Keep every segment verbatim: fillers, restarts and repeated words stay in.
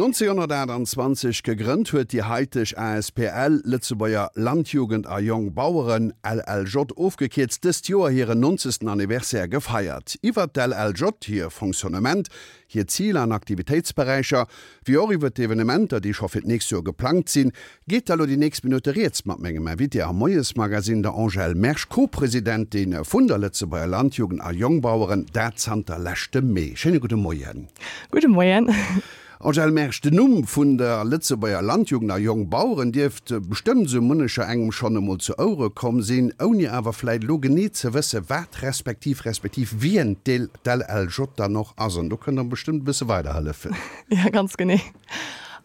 nonzénhonnertaachtanzwanzeg gegrënnt huet déi haiteg asbl Lëtzebuerger Landjugend a Jongbaueren, L L J ofgekierzt, dëst Joer hiren nonzegsten Anniversaire gefeiert. Iwwert d'L L J, hir Fonctionnement, hir Ziler an Aktivitéitsberäicher, wéi och iwwert d'Evenementer, déi scho fir d'nächst Joer geplangt sinn, geet da lo déi nächst Minutte rieds mat mengem Invité am Moiesmagazin, der Angèle Mersch, Co-Presidentin vun der Lëtzebuerger Landjugend a Jongbaueren, dat zanter leschtem Mee. Schéine gudde Moien. Gudde Moien. Angèle Mersch, den Numm vun der Lëtzebuerger Landjugend a Jongbaueren dierft bestëmmt sou munnecher engem schonn emol zu Ouere komm sinn, ouni awer vläit elo genee ze wësse wat respektiv respektiv wien d'L L J dann och ass. An do kënnt Der bestëmmt e bësse weiderhëllefen. Ja, ganz genee.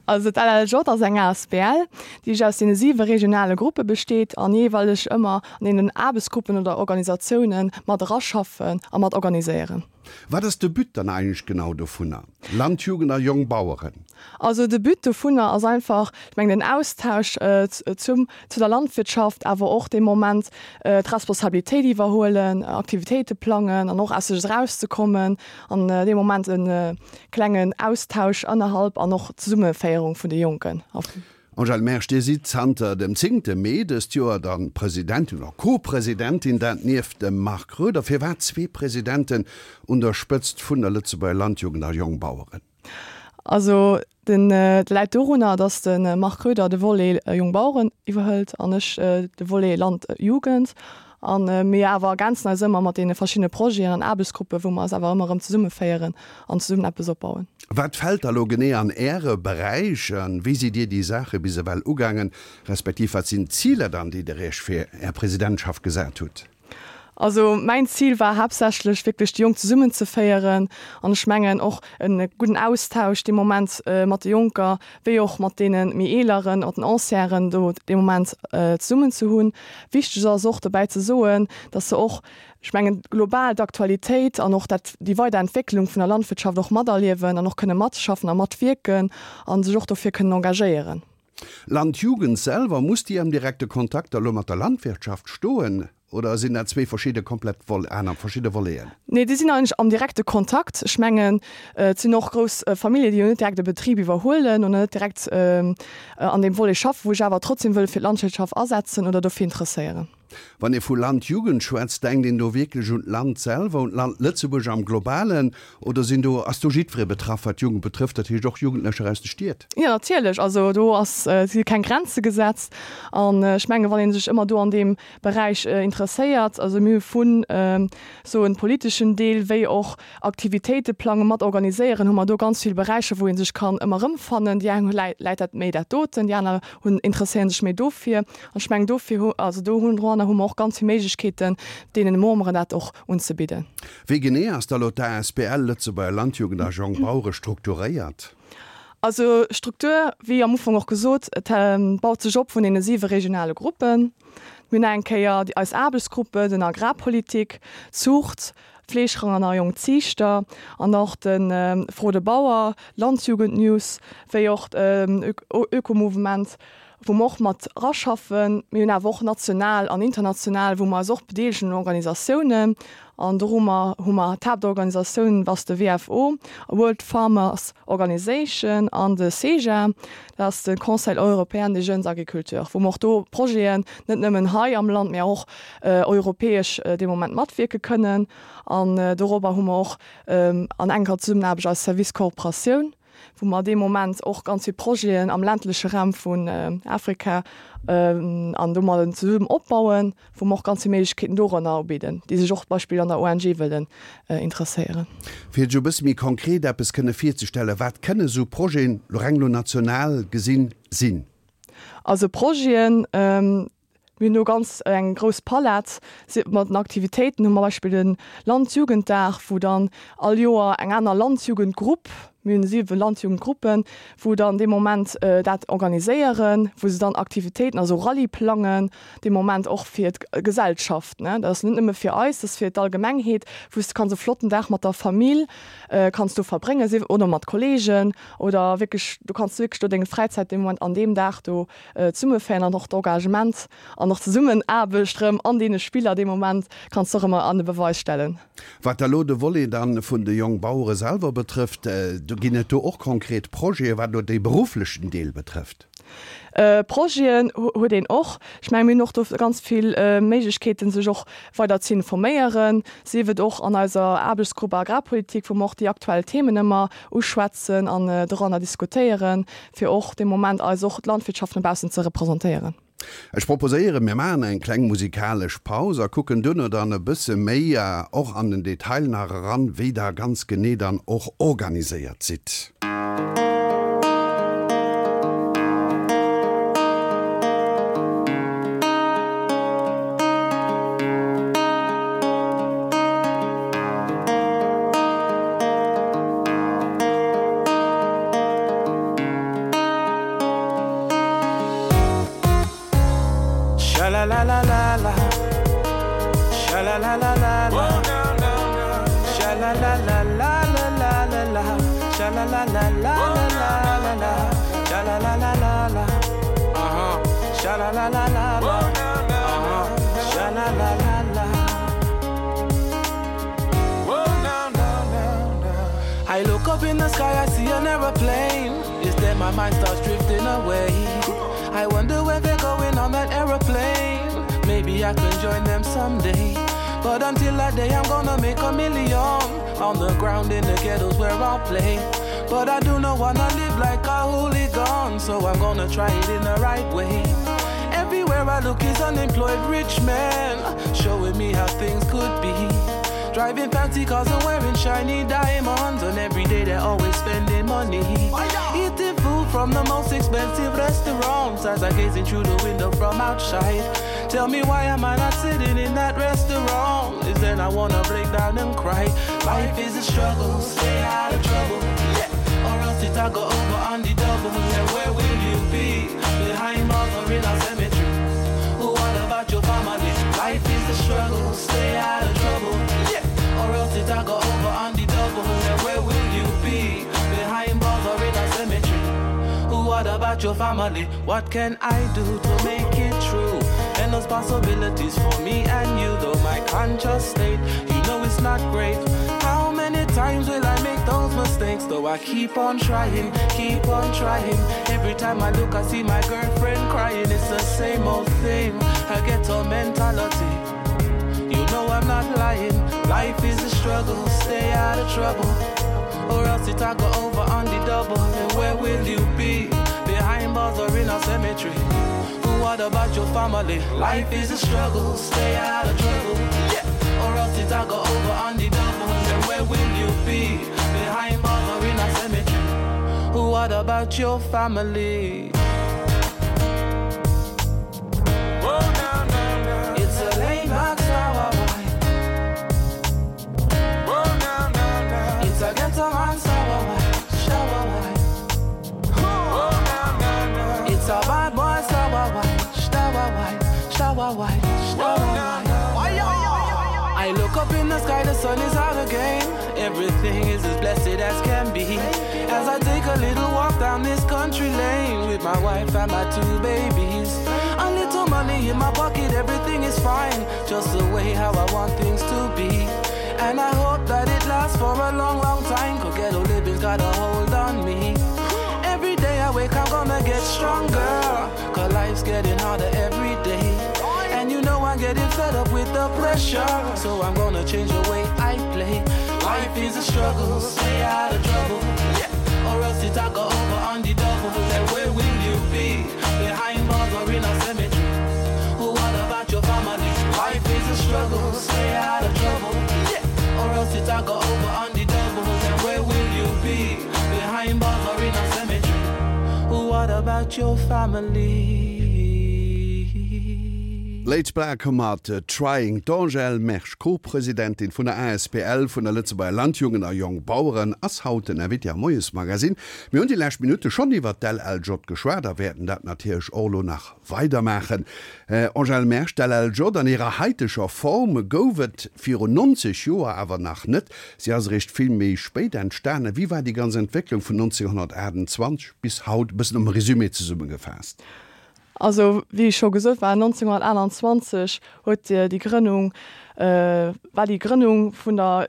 Also d'L L J ass eng A S B L, déi sech aus deene siwe regionale Gruppe besteet an jeeweileg ëmmer an deenen Aarbechtsgruppen oder Organisatioune mat eraschaffen a mat organiséieren. Wat ass de But dann eigentlech genau dovunner? Landjugend a Jongbaueren. Also de But dovunner ass einfach, ech mengen, den Austausch zum, zu der Landwirtschaft, awer och dee Moment d'Responsabilitéit iwwerhuelen, Aktivitéite plangen an och aus sech erauszekommen an dee Moment e klengen Austausch ënnerhalb an och Zesummeféierung vun de Jonken. Angèle Mersch, Dir sidd zanter dem zéngte Mee dëst Joer dann Presidentin oder Co-Presidentin, dat nieft dem Marc Roeder. Firwat zwee Presidenten un der Spëtzt vun der Lëtzebuerger Landjugend a Jongbaueren? Also den dat läit dorunner, datt de Marc Roeder de Volet Jongbaueren iwwerhëlt an ech de Volet Landjugend. A mir awer ergänzen eis ëmmer mat deene verschiddene Projeten an Aarbechtsgruppen, wou mer eis awer ëmmer erëm zesummeféieren an zesummen eppes opbauen. Wat fält da lo genee an Äre Beräich a wéi sidd Dir déi Saache bis ewell ugaangen, respektiv wat sinn d'Ziler dann, déi Der Iech fir Är Presidentschaft gesat hutt? Also mäin Zil war haaptsächlech wierklech déi Jonk zesummenzeféieren an ech mengen och e gudden Austausch dee Moment mat de Jonker wéi och mat deene méi Eeleren, mat den Ancienen do dee Moment zesummen ze hunn. Wichteg ass och dobäi ze soen, dass se och, ech mengen global d'Aktualitéit an och dat déi weider Entwécklung vun der Landwirtschaft och materliewen an och kënne matschaffen a matwierken a sech och dofir kënnen engagéieren. Landjugend selwer, muss déi am direkte Kontakt da lo mat der Landwirtschaft stoen oder sinn dat zwee verschidde komplett Vol aner verschidde Voleten? Nee, déi sinn eigentlech am direkte Kontakt. Ech mengen, et sinn och grouss Famillje, déi jo net direkt e Betrib iwwerhuelen oder net direkt an deem Volet schaffen, wou sech awer trotzdem wëlle fir d'Landwirtschaft asetzen oder dofir interesséieren. Wann ee vu Landjugend schwätzt, denkt een do wierklech un d'Land selwer, un d'Land Lëtzebuerg am Globalen, oder sinn do, ass do jiddweree betraff, wat d'Jugend betrëfft, dat heescht och Jugendlecher aus de Stied? Jo, natierlech. Also do ass, si keng Grenze gesetzt. An ech mengen, wann ee sech ëmmer do an deem Beräich interesséiert, also mir hu vun soen politeschen Deel wéi och Aktivitéite plangen, mat organiséieren, hu mer do ganz vill Beräicher, wou ee sech kann ëmmer erëmfannen. Déi eng hu läit dat méi dat doten, déi aner hunn interesséieren sech méi dofir. An ech mengen dofir hu, also do hunn doranner hu mer och ganz vill Méiglechkeeten, deenen Memberen dat och unzebidden. Wéi genee ass da lo d'A S B L Lëtzebuerger Landjugend a Jongbauere strukturéiert? Also Struktur, wéi am Ufank och gesot, et baut sech op vun deene siwe regionale Gruppen. Mir hunn eng Kéier déi eis Aarbechtsgruppe, den Agrarpolitik, Zuucht, Fleeschranger a jonk Ziichter an och de Fro de Bauer, Landjugendnews, wéi och Ökomouvement, wou mer och mat eraschaffen. Mir hunn awer och national an international, wou mer eis och bedeelegen un Organisatiounen. An do hu mer hu mer d'Haaptorganisatioun ass de W F O, World Farmers Organization, an de CEJA, dat ass de Conseil européen des jeunes agriculteurs, wou mer och do Projeten net nëmmen hei am Land, mä och europäesch dee Moment matwierke kënnen. An dorobber hu mer och an enker Zesummenaarbecht eis Service Kooperatioun, wou mer dee Moment och ganz vill Projeten am ländleche Raum vun Afrika an domadden zesummen opbauen, wou mer och ganz vill Méiglechkeeten dorënner ubidden, déi sech och zum Beispill an der O N G wëllen interesséieren. Fir sech e bësse méi konkret eppes kënne virzestellen, wat kënne sou Projeten, lo reng lo national gesinn, sinn? Also Projeten, mir hunn do ganz eng grouss Palett mat den Aktivitéiten, hu mer Beispill den Landjugenddag, wou dann all Joer eng aner Landjugendgrupp, mir hunn siwe Landjugendgruppen, wou dann dee Moment dat organiséieren, wou se dann Aktivitéiten, also Rallye plangen, dee Moment och fir d'Gesellschaft, ne. Dat ass net nëmme fir eis, dat ass fir d'Allgemengheet, wou s de kanns e flotten Dag mat der Famill kanns do verbréngen, sief oder mat Kollegen oder wierklech, du kanns wierklech do deng Fräizäit dee Moment an deem Dag do zesummeféieren an och d'Engagement an och d'Zesummenaarbecht erëm an deene Spiller dee Moment kanns de och ëmmer an de Beweis stellen. Wat da lo de Volet dann vun de Jongbauere selwer betrëfft, do Ginn et do och konkret Projete wat elo dee berufflechen Deel betrëfft? Projeten huet een och. Ech mengen, mir hunn och do ganz vill Méiglechkeeten, sech och weider ze informéieren, sief et och an eiser Aarbechtsgrupp Agrarpolitik, wou mer och déi aktuell Themen ëmmer uschwätzen an doranner diskutéieren, fir och dee Moment eis och d'Landwirtschaft no baussen ze representéieren. Ech proposéieren, mir maachen eng kleng musikalesch Paus a kucken duerno dann e bësse méi och an den Detail nach eran, wéi Der ganz genee dann och organiséiert sidd. I look up in the sky, I see an aeroplane. Is then my mind starts drifting away. I wonder where they're going on that aeroplane. Maybe I can join them someday. But until that day, I'm gonna make a million on the ground in the ghettos where I'll play. But I do not wanna live like a hooligan, so I'm gonna try it in the right way. Everywhere I look is unemployed rich men, showing me how things could be. Driving fancy cars and wearing shiny diamonds, and every day they're always spending money. Eating food from the most expensive restaurants as I gazing through the window from outside. Tell me why am I not sitting in that restaurant? Is then I wanna break down and cry. Life is a struggle, stay out of trouble. Yeah. Or else it'll go over on the double. And where will you be? Behind bars or in a cemetery? What about your family? Life is a struggle, stay out of trouble. Yeah. Or else it'll go over on the double. And where will you be? Behind bars or in a cemetery? What about your family? What can I do to make it true? Endless possibilities for me and you, though my conscious state, you know it's not great. How many times will I make those mistakes? Though I keep on trying, keep on trying. Every time I look, I see my girlfriend crying. It's the same old thing, a ghetto mentality. You know I'm not lying. Life is a struggle, stay out of trouble. Or else it'll go over on the double. And where will you be? Behind bars or in a cemetery? What about your family? Life is a struggle, stay out of trouble. Yeah. Or else it'll go over on the double. And where will you be? Behind bars or in a cemetery? What about your family? It's a laid back sour wine. It's a ghetto man sour wine, shower wine. It's a bad boy sour wine, shower wine, shower wine, shower wine. I look up in the sky, the sun is out again. Everything is as blessed as can be. As I take a little walk down this country lane with my wife and my two babies. A little money in my pocket, everything is fine. Just the way how I want things to be. And I hope that it lasts for a long, long time. Cause ghetto living's got a hold on me. Every day I wake, I'm gonna get stronger. Cause life's getting harder every day. And you know I'm getting fed up with the pressure. So I'm gonna change the way I play. Life is a struggle, stay out of trouble. Yeah. Or else it'll go over on the double. And where will you be? Behind bars or in a cemetery? What about your family? Life is a struggle, stay out of trouble. Yeah. Or else it'll go over on the double. And where will you be? Behind bars or in a cemetery? What about your family? Laid Black mat Trying. D'Angèle Mersch, Co-Presidentin vun der Asbl vun der Lëtzebuerger Landjugend a Jongbaueren, ass haut den Invité am Moiesmagazin. Mir hunn déi lescht Minutte schonn iwwert d'LLJ geschwat a wäerten dat natierlech och elo nach weidermaachen. Angèle Mersch, d'LLJ an hirer haiteger Form gouf et virun nonzeg Joer awer nach net. Si ass eréischt vill méi spéit entstanen. Wéi war déi ganz Entwécklung vun nonzénghonnertaachtundzwanzeg bis haut, e bëssen am Resumé zesummegefaasst? Also wéi ech scho gesot war neunzehnhundertaachtundzwanzeg huet déi Grënnung, war déi Grënnung vun der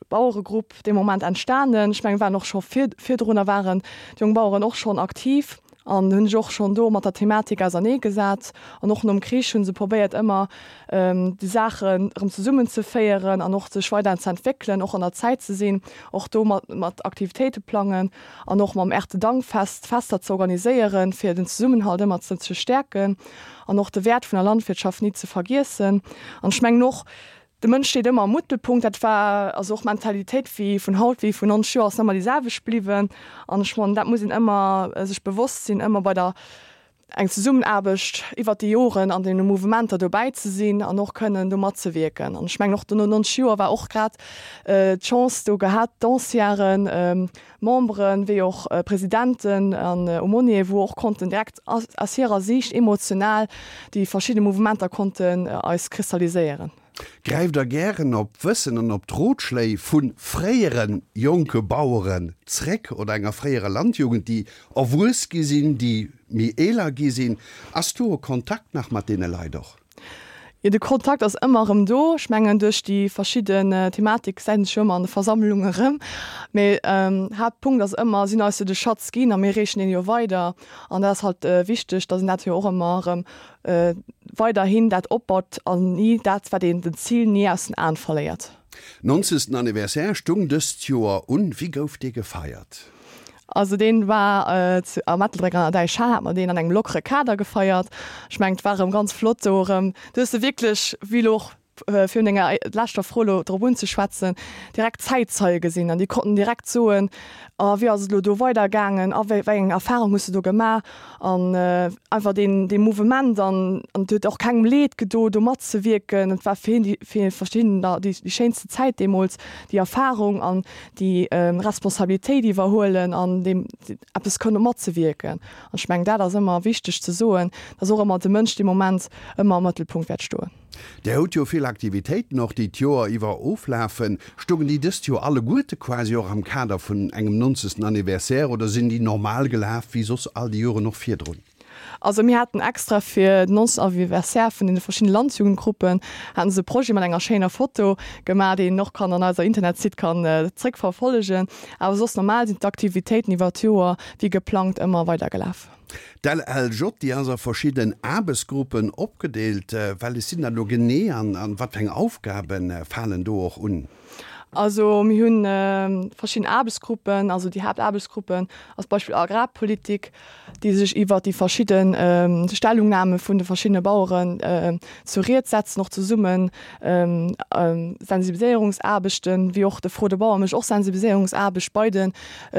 Baueregrupp dee Moment entstanen. Ech mengen, waren och scho virdrunner waren d'Jongbaueren och schonn aktiv an hunn sech och schonn do mat der Thematik ausernee gesat. An och nom Krich hu se probéiert ëmmer déi Saachen erëm zesummen ze féieren an och sech weider ze entwéckelen, och an der Zäit ze sinn, och do mat mat Aktivitéite plangen an och mam Erntedankfest Fester ze organiséieren, fir den Zesummenhalt ëmmer ze ze stäerken an och de Wäert vun der Landwirtschaft ni ze vergiessen. An ech mengen och, de Mënsch steet ëmmer am Mëttelpunkt. Dat war also och d'Mentalitéit wéi vun haut wéi vun nonzeg Joer ass ëmmer déi selwecht bliwwen. An ech mengen, dat muss een ëmmer sech bewosst sinn, ëmmer bei der eng Zesummenaarbecht iwwert déi Joren an deene Mouvementer dobäi ze sinn an och kënnen do matzewierken. An ech mengen och no nonzeg Joer war och grad d'Chance do gehat, d'Ancienen, Memberen, wéi och Presidenten an Aumônier, wou och konnten direkt aus hirer Siicht emotional déi verschidde Mouvementer konnten eis kristalliséieren. Gräift Der gären op d'Wëssen an op d'Rotschléi vu fréiere jonke Baueren zréck oder enger fréierer Landjugend, déi erwuess gi sinn, déi méi eeler gi sinn? Ass do e Kontakt nach mat deene Leit och? Jo, de Kontakt ass ëmmer erëm do. Ech mengen, duerch déi verschidden Thematik gesäit een sech jo ëmmer an de Versammlungen erëm. Mee Haaptpunkt ass ëmmer, si hunn eis jo de Schatz ginn a mir reechen deen jo weider. An dat ass halt wichteg, datt een dat jo och ëmmer erëm weiderhin dat opbaut an ni dat, wat een, den Zil ni aus den Aen verléiert. Nonzegsten Anniversaire stung dëst Joer un. Wéi gouf dee gefeiert? Also deen war zu am Ettelbréck an der Däichhal hat mer deen an engem lockere Kader gefeiert. Ech mengen et war erëm ganz flott do erëm, du hues de wierklech, wéi elo och fir un denger leschter Fro elo drop unzeschwätzen, direkt Zäitzeie gesinn an déi konnten direkt soen, a wéi ass et elo do weidergaangen, a wéi eng Erfahrung hues de do gemaach an einfach deen dee Mouvement an an et huet och kengem Leed gedo do matzewierken. Et war fir hien déi fir verschiddener déi déi schéinste Zäit deemools, déi Erfahrung an déi Responsabilitéit iwwerhuelen an deem eppes kënne matzewierken. An ech mengen dat ass ëmmer wichteg ze soen, dass och ëmmer de Mënsch dee Moment ëmmer am Mëttelpunkt wäert stoen. Där hutt jo vill Aktivitéiten och, déi d'Joer iwwer oflafen. Stoungen déi dëst Joer alleguerte quasi och am Kader vun engem nonzegsten Anniversaire oder sinn déi normal gelaf wéi soss all déi Joren och virdrun? Also mir haten extra fir den nonzegsten Anniversaire vun deene verschiddene Landjugendgruppen haten se e Projet mat enger schéiner Foto gemaach, deen een och kann an eiser Internetsite kann zréckverfollegen. Awer soss normal sinn d'Aktivitéiten iwwer d'Joer wéi geplangt ëmmer weidergelaf. D'LLJ, déi ass a verschidden Aarbechtsgruppen opgedeelt. Wellech sinn dat elo genee an wat fir eng Aufgabe falen do och un? Also mir hu verschidden Aarbechtsgruppen, also déi Haaptaarbechtsgruppen ass Beispill Agrarpolitik, déi sech iwwert déi verschidde Stellungnahme vun de verschiddene Baueren zur Ried setzen, och zesummen Sensibiliséierungsaarbechten, wéi och de Fro de Bauer mécht och Sensibiliséierungsaarbecht bei de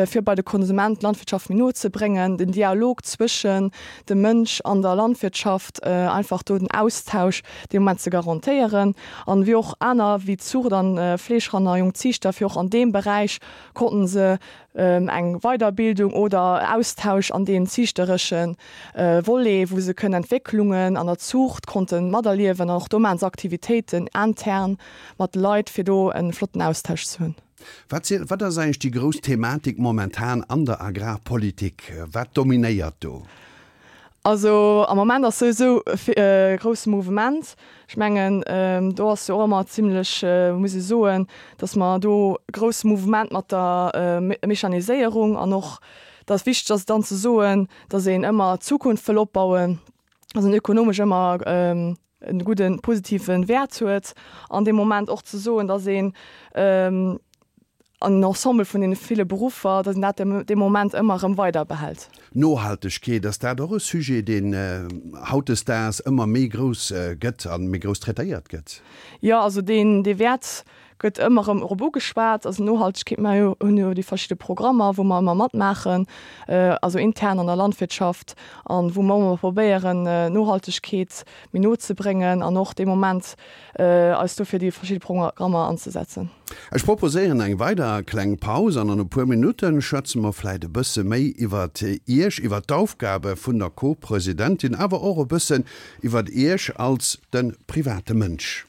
fir bei de Konsument d'Landwirtschaft méi no ze bréngen, den Dialog zwëschen dem Mënsch an der Landwirtschaft, einfach do den Austausch dee Moment ze garantéieren. An wéi och aner wéi Zuucht an Fleeschranner, jonk Ziichter, fir och an deem Beräich konnten se eng Weiderbildung oder Austausch an deem ziichteresche Volet, wou se kënnen Entwécklungen an der Zuucht konnte materliewen. An och do maachen se Aktivitéiten intern mat de Leit, fir do e flotten Austausch ze hunn. Wat si, wat ass eigentlech déi grouss Thematik momentan an der Agrarpolitik? Wat dominéiert do? Also am Moment ass souwisou e grousse Mouvement. Ech mengen, do ass jo och ëmmer zimlech, muss ee soen, datt mer do e grousse Mouvement mat der Mechaniséierung an och, datt wichteg ass dann ze soen, datt een ëmmer d'Zukunft wëll opbauen, datt een ökonomesch ëmmer e gudden, positive Wäert huet an dee Moment och ze soen, datt een an Ensemble vun deene ville Beruffer, datt een dat dee Moment ëmmer erëm weider behält. Nohaltegkeet, ass dat och e Sujet, deen hautdesdaags ëmmer méi grouss gëtt a méi grouss traitéiert gëtt? Jo, also deen, dee Wäert gëtt ëmmer erëm erop ugeschwat. Also Nohaltegkeet, mer hunn jo déi verschidde Programmer, wou mer ëmmer matmaachen, also intern an der Landwirtschaft, an wou mer ëmmer probéieren, Nohaltegkeet méi no ze bréngen an och dee Moment eis do fir déi verschidde Programmer anzesetzen. Ech proposéieren eng weider kleng Paus an an e puer Minutte schwätze mer vläit e bësse méi iwwert Iech, iwwert d'Aufgabe vun der Co-Presidentin, awer och e bëssen iwwert Iech als de private Mënsch.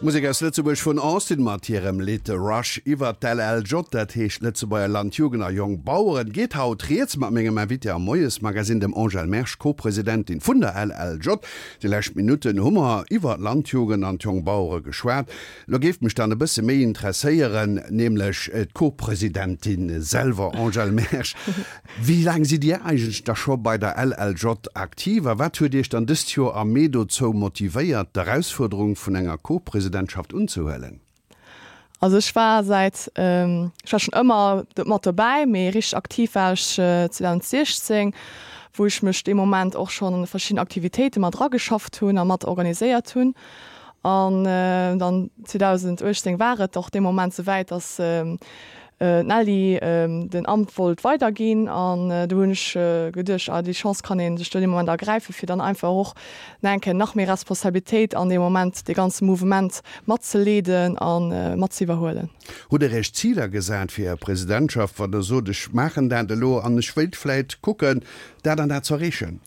Musek aus Lëtzebuerg vun Austin mat hirem Lidd Rush. Iwwer d'L L J, dat heescht Lëtzebuerger Landjugend a Jongbaueren, geet haut rieds mat mengem Invité am Moiesmagazin, dem Angèle Mersch, Co-Presidentin vun der L L J. Déi lescht Minutten hu mer iwwer d'Landjugend an d'Jongbauere geschwat. Lo géif mech dann e bësse méi interesséieren, nämlech d'Co-Presidentin selwer, Angèle Mersch. Wéi laang sidd Dir eigentlech da scho bei der L L J aktiv a wat huet Iech dann dëst Joer am Mee dozou motivéiert, d'Erausfuerderung vun enger Co-Presidentschaft unzehuelen? Also ech war säit ähm, ech war schonn ëmmer mat dobäi, mee richteg aktiv war ech äh, zweedausendsechzéng, wou ech mech dee Moment och schonn an verschidden Aktivitéite mat drageschafft hunn a mat organiséiert hunn. An äh, dann zweedausenduechtzéng war et och dee Moment souwäit, dass ähm, äh, d'Nelly ähm, den Amt wollt weiderginn an äh, do hunn ech äh, geduecht, ah, déi Chance kann een sech do dee Moment ergräifen, fir dann einfach och nach eng Kéier nach méi Responsabilitéit an deem Moment de ganze Mouvement matzeleeden an äh, mat ze iwwerhuelen. Hutt Der Iech Ziler gesat fir Är Presidentschaft, wann Der sot, ech maachen dat elo an ech wéilt vläit kucken, dat an dat ze erreechen?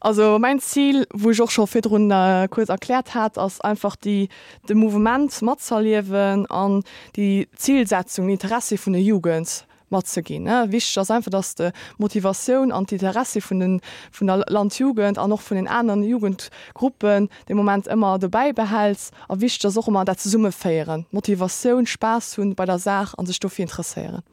Also mäin Zil, wou ech och scho virdrun äh, kuerz erkläert hat, ass einfach déi de Mouvement matzerliewen an déi Zilsetzung, Interessi vun der Jugend matzeginn. Ne? Wichteg ass einfach, dass d'Motivatioun an d'Interessi vun den vun der Landjugend an och vun den aneren Jugendgruppen de Moment ëmmer dobäi behäls a wichteg ass och ëmmer dat Zesummeféieren, Motivatioun, Spaass hunn bei der Saach an sech dofir interesséieren.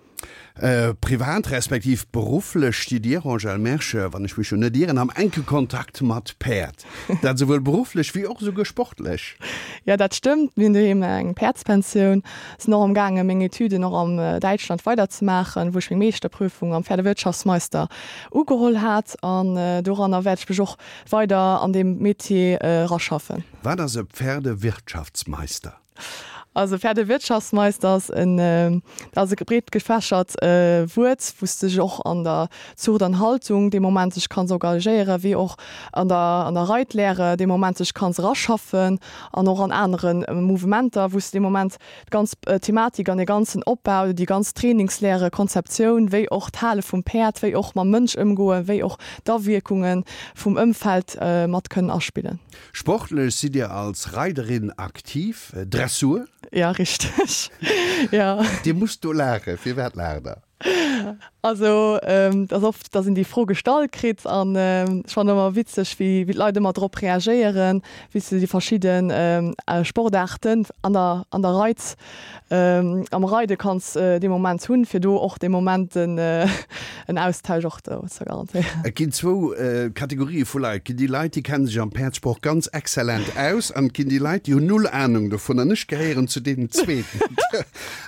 Äh, privat respektiv berufflech stitt Dir, Angèle Mersch, wann ech mech jo net ieren, am enke Kontakt mat Päerd. Dat souwuel berufflech wéi och souguer sportlech. Ja, dat stëmmt. Mir hunn doheem eng Päerdspensioun, sinn och am gaange meng Etüden och am äh, Däitschland weiderzemaachen, wou ech meng Meeschterprüfung am Pferdewirtschaftsmeister ugeholl hat an äh, doranner wäert ech mech och weider an deem Metier äh, raschaffen. Wat ass e Pferdewirtschaftsmeister? Also Pferdewirtschaftsmeister ass en äh, ass e breet gefächert äh, Wuert, wou s de dech och an der Zucht an Haltung dee Moment sech kanns engagéieren, wéi och an der, an der Reitlehre dee Moment sech kanns raschaffen an och an aneren äh, Mouvementer, wou s de dee Moment d'ganz äh, Thematik an de ganzen Opbau, déi ganz Trainingslehre, Konzeptioun, wéi och d'Hale vum Päerd, wéi och mam Mënsch ëmgoen, wéi och d'Awierkunge vum Ëmfeld äh, mat kënnen aspillen. Sportlech sidd Dir als Reiderin aktiv, äh, Dressur? Ja, richteg. Ja. Dir musst do laachen, firwat laacht Der? Also ähm, dat oft, dass een déi Fro gestallt kritt an ähm, schonn ëmmer witzeg, wéi, wéi d'Leit ëmmer drop reagéieren, wéi se déi verschidden ähm, äh, Sportaarten an der, an der Reit, ähm, am Reide kanns äh, dee Moment hunn, fir do och de Moment den, äh, en Austausch och do ze garantéieren. Et ginn zwou äh, Kategorië vu Leit. Et ginn déi Leit, déi kenne sech am Päerdsport ganz exzellent aus an et ginn déi Leit, déi hunn null Anung dovun an ech gehéieren zu deenen Zweeten.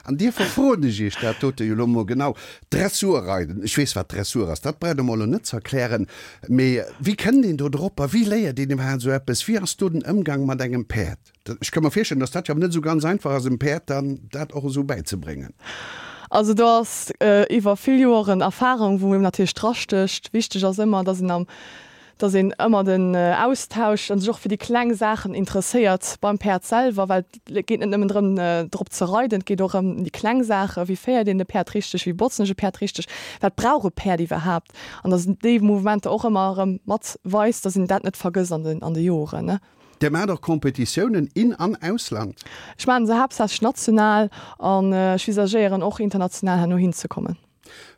An duerfir froen ech Iech dat dote jo lo mol genau. Dressurreiden, ech weess wat Dressur ass, dat brauch Der mer lo net ze erklären, mee wéi kënnt een do drop a wéi léiert een iwwerhaapt esou eppes? Wéi ass do den Ëmgang mat engem Päerd? Ech ka mer virstellen, dass dat jo net esou ganz einfach ass, em Päerd dann dat och esou bäizebréngen. Also do ass äh, iwwer vill Joren Erfahrung, wou een natierlech drastécht. Wichteg ass ëmmer, dass een am dass een ëmmer den äh, Austausch an sech och fir déi kleng Saachen interesséiert beim Päerd selwer, well et geet net nëmmen drëm äh, drop ze reiden, et geet och ëm déi kleng Saachen, wéi féiert een de Päerd richteg, wéi botzen ech e Päerd richteg, wat brauch e Päerd iwwerhaapt an dass een déi Mouvementer och ëmmer erëm mat weist, dass een dat net vergësst an den an de Joren ne. Dir maacht och Kompetitiounen in an Ausland? Ech maachen se haaptsächlech national an äh, ech visagéieren och international herno hinzekommen.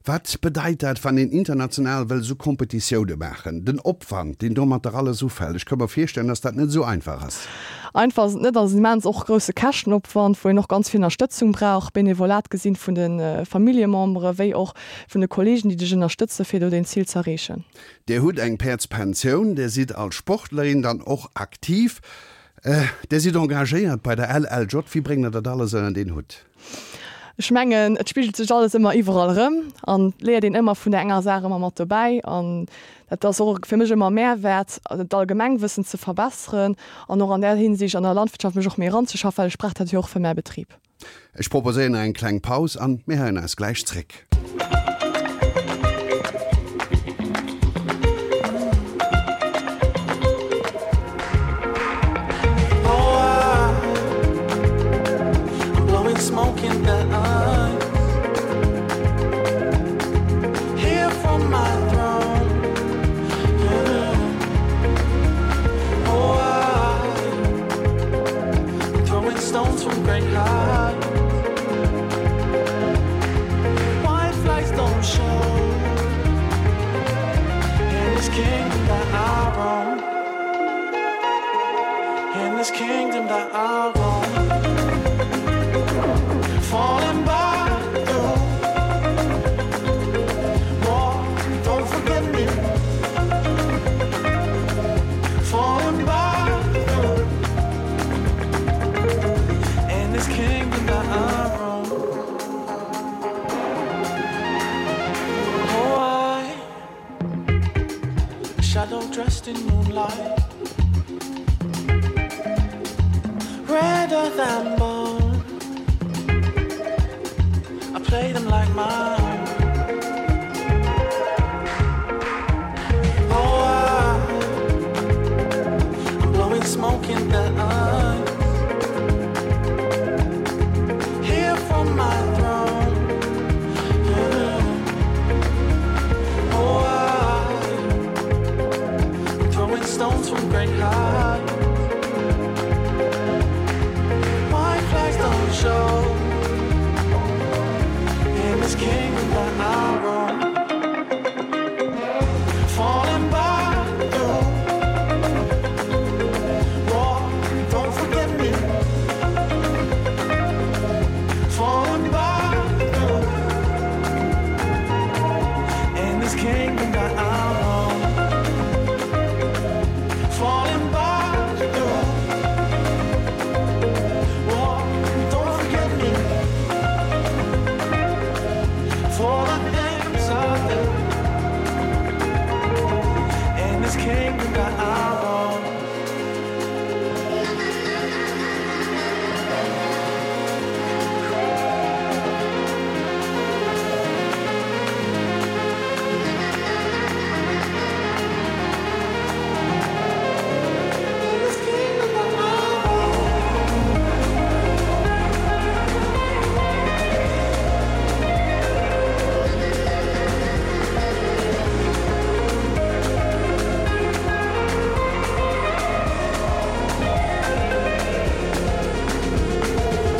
Wat bedeit dat, wann een international wëll sou Kompetitioune maachen? Den Opwand, deen domatter alles ufält, ech ka mer virstellen, dass dat net sou einfach ass. Einfach ass et net, ass immens och grousse Käschtenopwand, wou een och ganz vill Ënnerstëtzung brauch, Benevolat gesinn vun de Familljemembere wéi och vun de Kollegen, déi dech ënnerstëtze fir do den Zil ze erreechen. Dir hutt eng Päerdspensioun, Dir sidd als Sportlerin dann och aktiv, Dir sidd engagéiert bei der L L J. Wéi bréngt Der dat alles ënnert een Hutt? Ech mengen, et spigelt sech alles ëmmer iwwerall erëm an et léiert een ëmmer vun der enger Saach ëmmer mat dobäi an dat ass och fir mech ëmmer Mehrwert, d'Allgemengwëssen ze verbesseren an och an där Hinsicht an der Landwirtschaft mech och méi eranzeschaffen, well ech brauch dat jo och fir mäi Betrib. Ech proposéieren eng kleng Paus an mir héieren eis gläich zréck. from great heights. White flags don't show in this kingdom that I roam. In this kingdom that I roam. Falling back through. War, don't forget me. Falling back through. In this kingdom that I roam. Oh, I, a shadow dressed in moonlight, redder than bone. I play them like my own. Oh, I, I'm blowing smoke in their eyes. Here from my throne. Yeah. Oh, I, I'm throwing stones from great heights. White flags don't show in this kingdom that I roam. Falling back through. War, don't forget me. Falling back through. In this kingdom that I roam. Falling back through. War, don't forget me. For the things I do. In this kingdom that I roam. In this kingdom that I roam.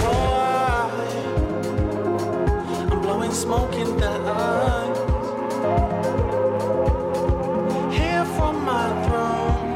Oh, I, I'm blowing smoke in their eyes. Here from my throne,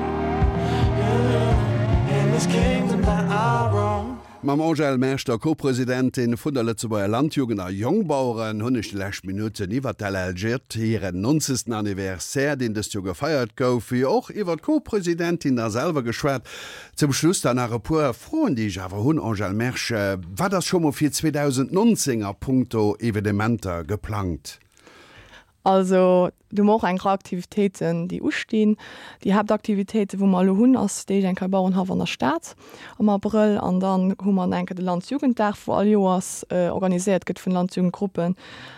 yeah, in this kingdom that I roam. Mam Angèle Mersch, der Co-Presidentin vun der Lëtzebuerger Landjugend a Jongbaueren, hunn ech déi lescht Minutten iwwer d'L L J, hiren neunzegsten Anniversaire, deen dëst Joer gefeiert gouf, wéi och iwwer d'Co-Presidentin da selwer geschwat. Zum Schluss dann nach e puer Froen, déi ech awer hunn, Angèle Mersch. Wat ass scho mol fir zweedausendnonzéng a punkto Evenementer geplangt? Also do hu mer och eng Rei Aktivitéiten, déi ustinn. Déi Haaptaktivitéiten, wou mer elo hunn, ass déi eng Kéier Bauerenhaff an der Stad am Abrëll an dann hu mer eng Kéier de Landjugenddag, wou all Joers äh, organiséiert gëtt vun Landjugendgruppen.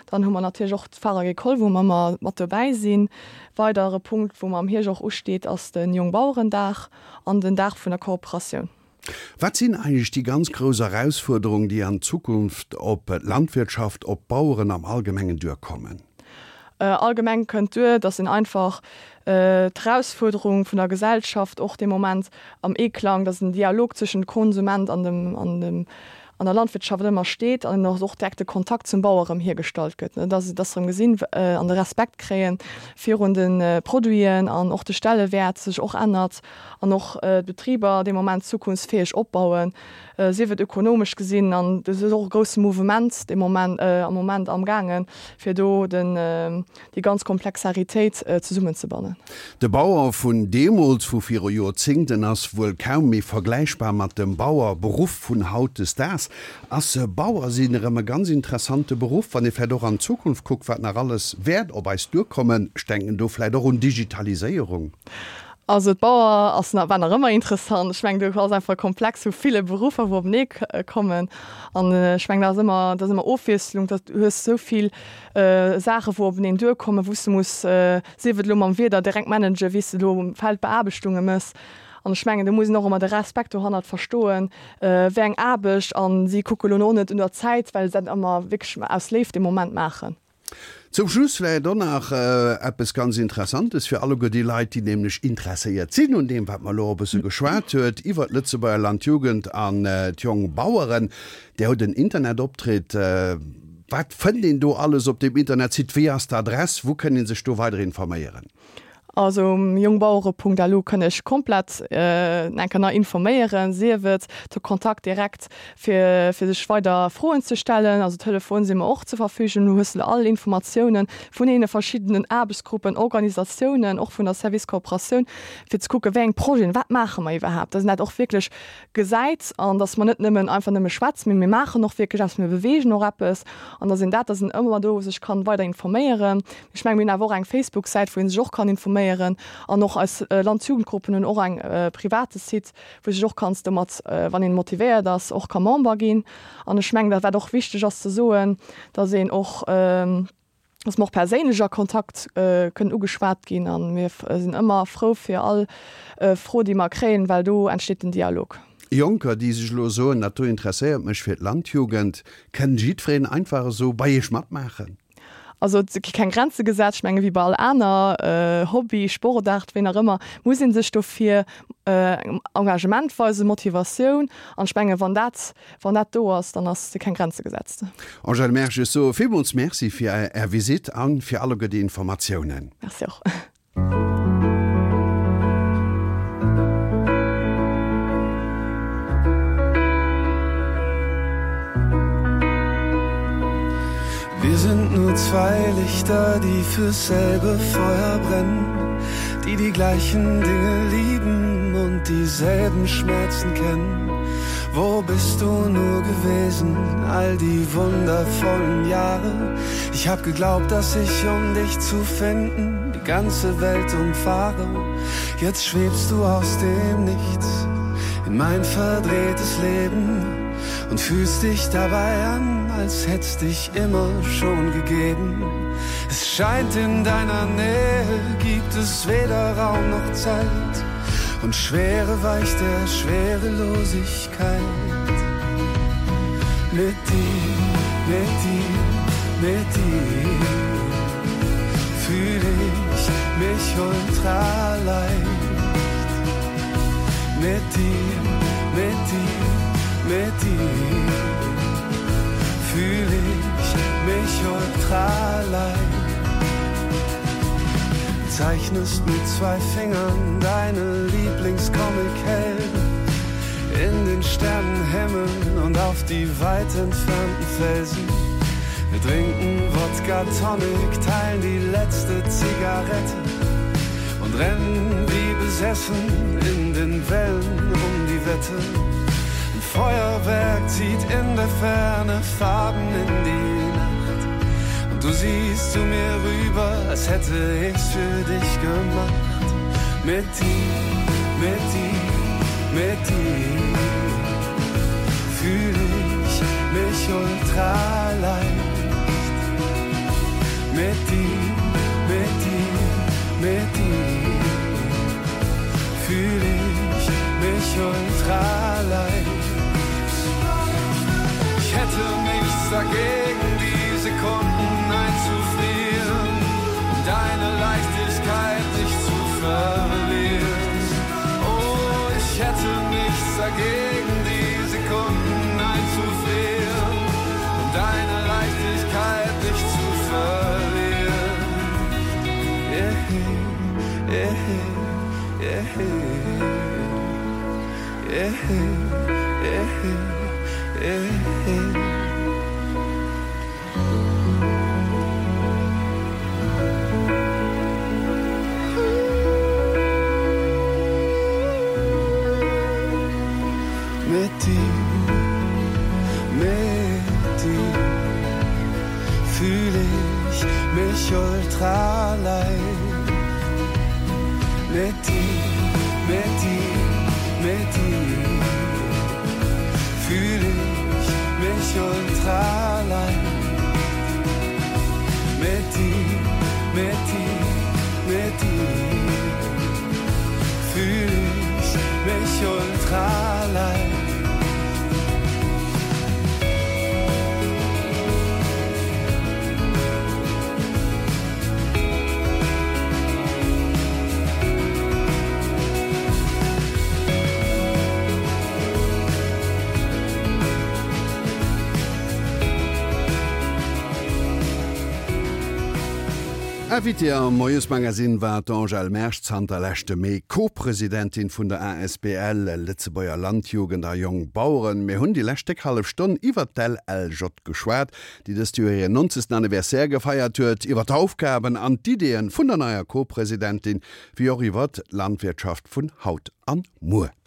Dann hu mer natierlech och d'Foire Agricole, wou mer ëmmer mat dobäi sinn. Weidere Punkt, wou mer am Hierscht och usteet, ass den Jongbauerendag an den Dag vun der Kooperatioun. Wat sinn eigentlech déi ganz grouss Erausfuerderungen, déi an Zukunft op Landwirtschaft, op Baueren am Allgemengen duerkommen? Äh, allgemeng kënnt duer, dass een einfach äh, d'Erausfuerderung vun der Gesellschaft och de Moment am Aklang, dass en Dialog zwëschen Konsument an dem an dem an der Landwirtschaft ëmmer steet an och och direkte Kontakt zum Bauer erëm hiergestallt gëtt, ne? Dass dass erëm gesinn äh, an de Respekt kréien virun den äh, Produiten an och de Stellewäert sech och ännert an och äh, Betriber de Moment zukunftsfäeg opbauen, äh, sief et ökonomesch gesinn an dat ass och e grousse Mouvement de Moment äh, am Moment am gaangen fir do den äh, déi ganz Komplexaritéit äh, zesummenzebannen. De Bauer vun deemools, vu viru Joerzéngten, ass wuel kaum méi vergläichbar mat dem Bauerberuff vun hautdesdaags. Ass Bauer sinn erëm e ganz interessante Beruff, wann ee vläicht och an d'Zukunft kuckt, wat nach alles wäert op eis duerkommen, ech denken do vläicht och un Digitaliséierung. Also Bauer ass nach, war nach ëmmer interessant. Ech mengen, do ass einfach komplex, sou vill Beruffer, wou openee kommen. An äh, ech mengen, dat ass ëmmer, dat ass ëmmer Ofwiesslung, dat du hues sou vill äh, Saache wou openeen duerkommen, wou s du muss äh, sief et lo mam Wieder direkt managen, wéi s du lo Feldbeaarbechtungen mëss. An ech mengen, do muss een och ëmmer de Respekt dohannert verstoen, äh, wéi eng Aarbecht an si kucke lo net un der Zäit, well se dat ëmmer wierklech aus Léift de Moment maachen. Zum Schluss vläicht och nach eppes ganz Interessantes fir alleguer déi Leit, déi nämlech interesséiert sinn un deem, wat mer elo e bësse geschwat huet iwwert d'Lëtzebuerger Landjugend an d'Jongbaueren. Där hutt en Internetoptritt. Wat fënnt een do alles op deem Internetsite? Wéi ass d'Adress? Wou kënn ee sech do weider informéieren? Also um jungbauere.lu kënn ech komplett äh, eng Kéier informéieren, sief et de Kontakt direkt fir, fir sech weider Froen ze stellen, also Telefon si mer och zur Verfügung, du hues all Informatiounen vun deene verschiddenen Aarbechtsgruppen, Organisatiounen, och vun der Service Kooperatioun, fir ze kucke wéi eng Projeten, wat maache mer iwwerhaapt, dass een dat och wierklech gesäit an dass mer net nëmmen einfach nëmme schwätzen, mee mir maachen och wierklech eppes, mir beweegen och eppes an dass een dat, dass een ëmmer do sech kann weider informéieren. Ech mengen, mir hunn awer och eng Facebook-Säit, wou een sech och kann informéieren an och eis Landjugendgruppen hunn och eng private Site, wou sech och kanns domat, wann een motivéiert ass, och ka Member ginn. An ech mengen, dat wat och wichteg ass ze soen, dass een och, dass mer och perséinlech a Kontakt kënnen ugeschwat ginn an mir sinn ëmmer frou fir all Fro, déi mer kréien, well do entsteet den Dialog. Jonker, déi sech elo soen, dat do interesséiert mech fir d'Landjugend, kënn jiddwereen einfach esou bei iech matmaachen? Also et gi keng Grenze gesat. Ech menge wéi bei all aner Hobby, Sportaart, wéi nach ëmmer, muss ee sech dofir Engagement weisen, Motivatioun. An ech menge wann dat, wann dat do ass, dann ass si keng Grenze gesetzt. Angèle Mersch, ech soe villmools Merci fir Är Visitt a fir alleguer déi Informatiounen. Merci och. Wir sind nur zwei Lichter, die fürs selbe Feuer brennen, die die gleichen Dinge lieben und dieselben Schmerzen kennen. Wo bist du nur gewesen all die wundervollen Jahre? Ich hab geglaubt, dass ich um dich zu finden die ganze Welt umfahre. Jetzt schwebst du aus dem Nichts in mein verdrehtes Leben und fühlst dich dabei an, als hätt's dich immer schon gegeben. Es scheint in deiner Nähe gibt es weder Raum noch Zeit und Schwere weicht der Schwerelosigkeit. Mit dir, mit dir, mit dir fühl ich mich ultraleicht. Mit dir, mit dir, mit dir fühl ich mich ultraleicht. Zeichnest mit zwei Fingern deine Lieblingscomic-Helden in den Sternenhimmel und auf die weit entfernten Felsen. Wir trinken Wodka Tonic, teilen die letzte Zigarette und rennen wie besessen in den Wellen um die Wette. Ein Feuerwerk zieht in der Ferne Farben in die Nacht. Und du siehst zu mir rüber, als hätte ich's für dich gemacht. Mit dir, mit dir, mit dir fühl ich mich ultraleicht. Mit dir, mit dir, mit dir fühl ich mich ultraleicht. Ich hätte nichts dagegen, die Sekunden einzufrieren, um deine Leichtigkeit nicht zu verlieren. Oh, ich hätte nichts dagegen, die Sekunden einzufrieren, um deine Leichtigkeit nicht zu verlieren. Yeah, yeah, yeah, yeah, yeah, yeah. Mit dir, mit dir fühl ich mich ultraleicht. Mit dir, mit dir, mit dir fühl ich mich ultraleicht. Mit dir, mit dir, mit dir fühl ich mich ultraleicht. Invitée am Moiesmagazin war d'Angèle Mersch, zanter leschte Mee Co-Presidentin vun der A S B L Lëtzebuerger Landjugend a Jongbaueren. Mir hunn déi lescht déck hallef Stonn iwwer d'L L J geschwat, déi dëst Joer hiren nonzegsten Anniversaire gefeiert huet, iwwer d'Aufgaben an d'Ideeën vun der neier Co-Presidentin, wéi och iwwer d'Landwirtschaft vun haut an muer.